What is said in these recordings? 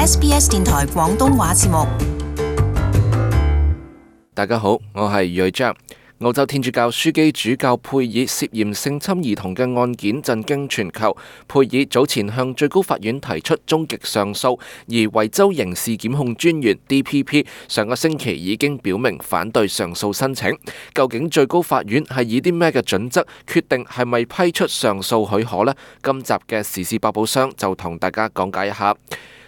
SBS 電台廣東話節目。大家好，我係瑞章。澳洲天主教樞機主教佩爾涉嫌性侵兒童嘅案件震驚全球。佩爾早前向最高法院提出終極上訴，而維州刑事檢控專員 DPP 上個星期已經表明反對上訴申請。究竟最高法院係以啲咩嘅準則決定係咪批出上訴許可呢？今集嘅時事百寶箱就同大家講解一下。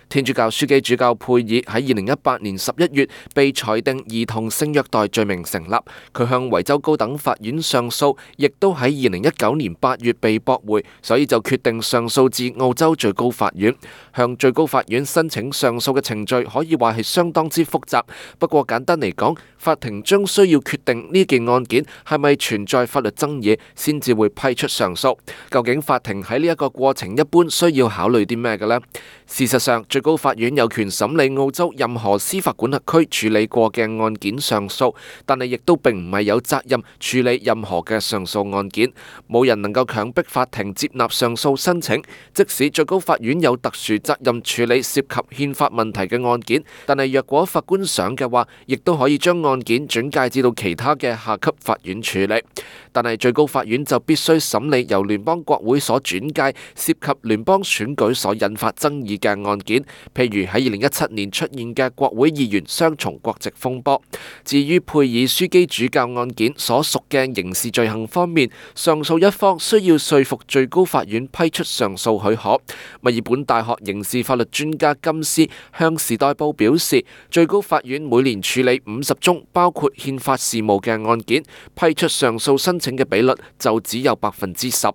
天主教樞機主教佩爾喺2018年11月被裁定兒童性虐待罪名成立，佢向維州高等法院上訴，亦都喺2019年8月被駁回，所以就決定上訴至澳洲最高法院。向最高法院申請上訴嘅程序可以話係相當之複雜，不過簡單嚟講，法庭將需要決定呢件案件係咪存在法律爭議，先至會批出上訴。究竟法庭喺呢一個過程一般需要考慮啲咩嘅呢？事實上，最高法院有權審理澳洲任何司法管轄區處理過嘅案件上訴，但係亦都並唔係有責任處理任何嘅上訴案件。冇人能夠強迫法庭接納上訴申請，即使最高法院有特殊責任處理涉及憲法問題嘅案件，但係若果法官想嘅話，亦都可以將案件轉介至到其他嘅下級法院處理。但係最高法院就必須審理由聯邦國會所轉介涉及聯邦選舉所引發爭議嘅案件，譬如喺2017年出現嘅國會議員雙重國籍風波。至於佩爾樞機主教案件所屬嘅刑事罪行方面，上訴一方需要說服最高法院批出上訴許可。墨爾本大學刑事法律專家金斯向時代報表示，最高法院每年處理50宗包括憲法事務嘅案件，批出上訴申請嘅比率就只有10%。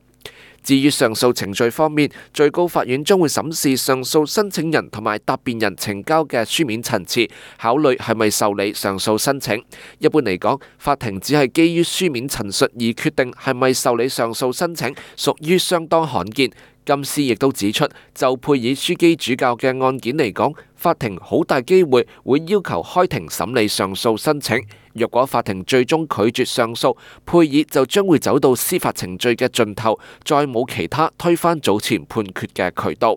至於上訴程序方面，最高法院將會審視上訴申請人同埋答辯人呈交嘅書面陳詞，考慮係咪受理上訴申請。一般嚟講，法庭只係基於書面陳述而決定係咪受理上訴申請，屬於相當罕見。金斯亦都指出，就佩爾樞機主教嘅案件嚟講，法庭好大機會會要求開庭審理上訴申請。若果法庭最終拒絕上訴，佩爾就將會走到司法程序嘅盡頭，再冇其他推翻早前判決嘅渠道。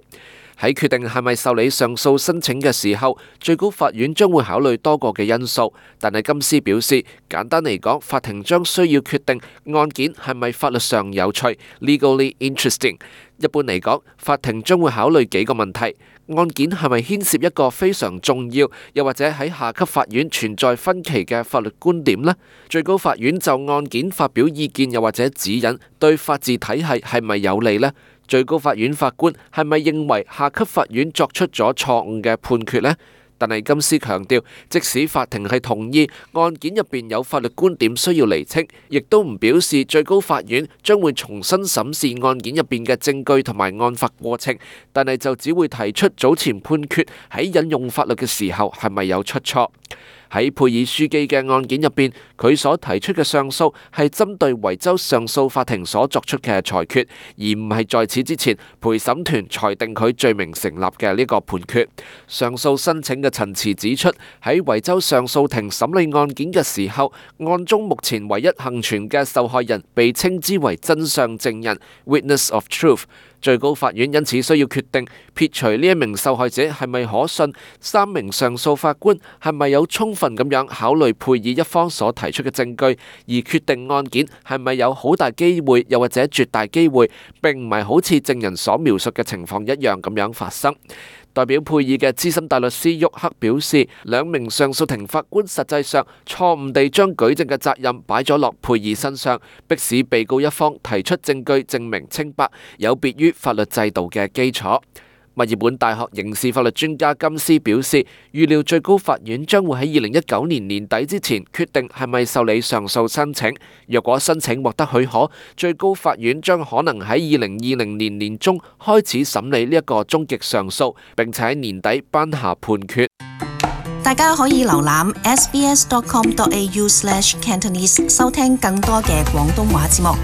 喺決定係咪受理上訴申請嘅時候，最高法院將會考慮多個嘅因素。但係金斯表示，簡單嚟講，法庭將需要決定案件係咪法律上有趣 （legally interesting）。一般嚟講，法庭將會考慮幾個問題：案件係咪牽涉一個非常重要，又或者喺下級法院存在分歧嘅法律觀點呢？最高法院就案件發表意見，又或者指引，對法治體系係咪有利呢？最高法院法官係咪認為下級法院作出咗錯誤嘅判決呢？但係金斯強調，即使法庭係同意案件入邊有法律觀點需要釐清，亦都唔表示最高法院將會重新審視案件入邊嘅證據同埋案發過程，但係就只會提出早前判決喺引用法律嘅時候係咪有出錯。喺佩爾樞機嘅案件入邊，佢所提出嘅上訴係針對維州上訴法庭所作出嘅裁決，而唔係在此之前陪審團裁定佢罪名成立嘅呢個判決。上訴申請嘅陳詞指出，喺維州上訴庭審理案件嘅時候，案中目前唯一幸存嘅受害人被稱之為真相證人 （Witness of Truth）。最高法院因此需要決定撇除呢一名受害者係咪可信，3名上訴法官係咪有充分咁樣考慮佩爾一方所提出嘅證據，而決定案件係咪有好大機會，又或者絕大機會，並唔係好似證人所描述嘅情況一樣咁樣發生。代表佩爾嘅資深大律師沃克表示，2名上訴庭法官實際上錯誤地將舉證嘅責任擺咗落佩爾身上，迫使被告一方提出證據證明清白，有別於法律制度嘅基礎。墨爾本大學刑事法律專家金斯表示，預料最高法院將會喺2019年年底之前決定係咪受理上訴申請。若果申請獲得許可，最高法院將可能喺2020年年中開始審理呢一個終極上訴，並且喺年底頒下判決。大家可以瀏覽 sbs.com.au/cantonese 收聽更多嘅廣東話節目。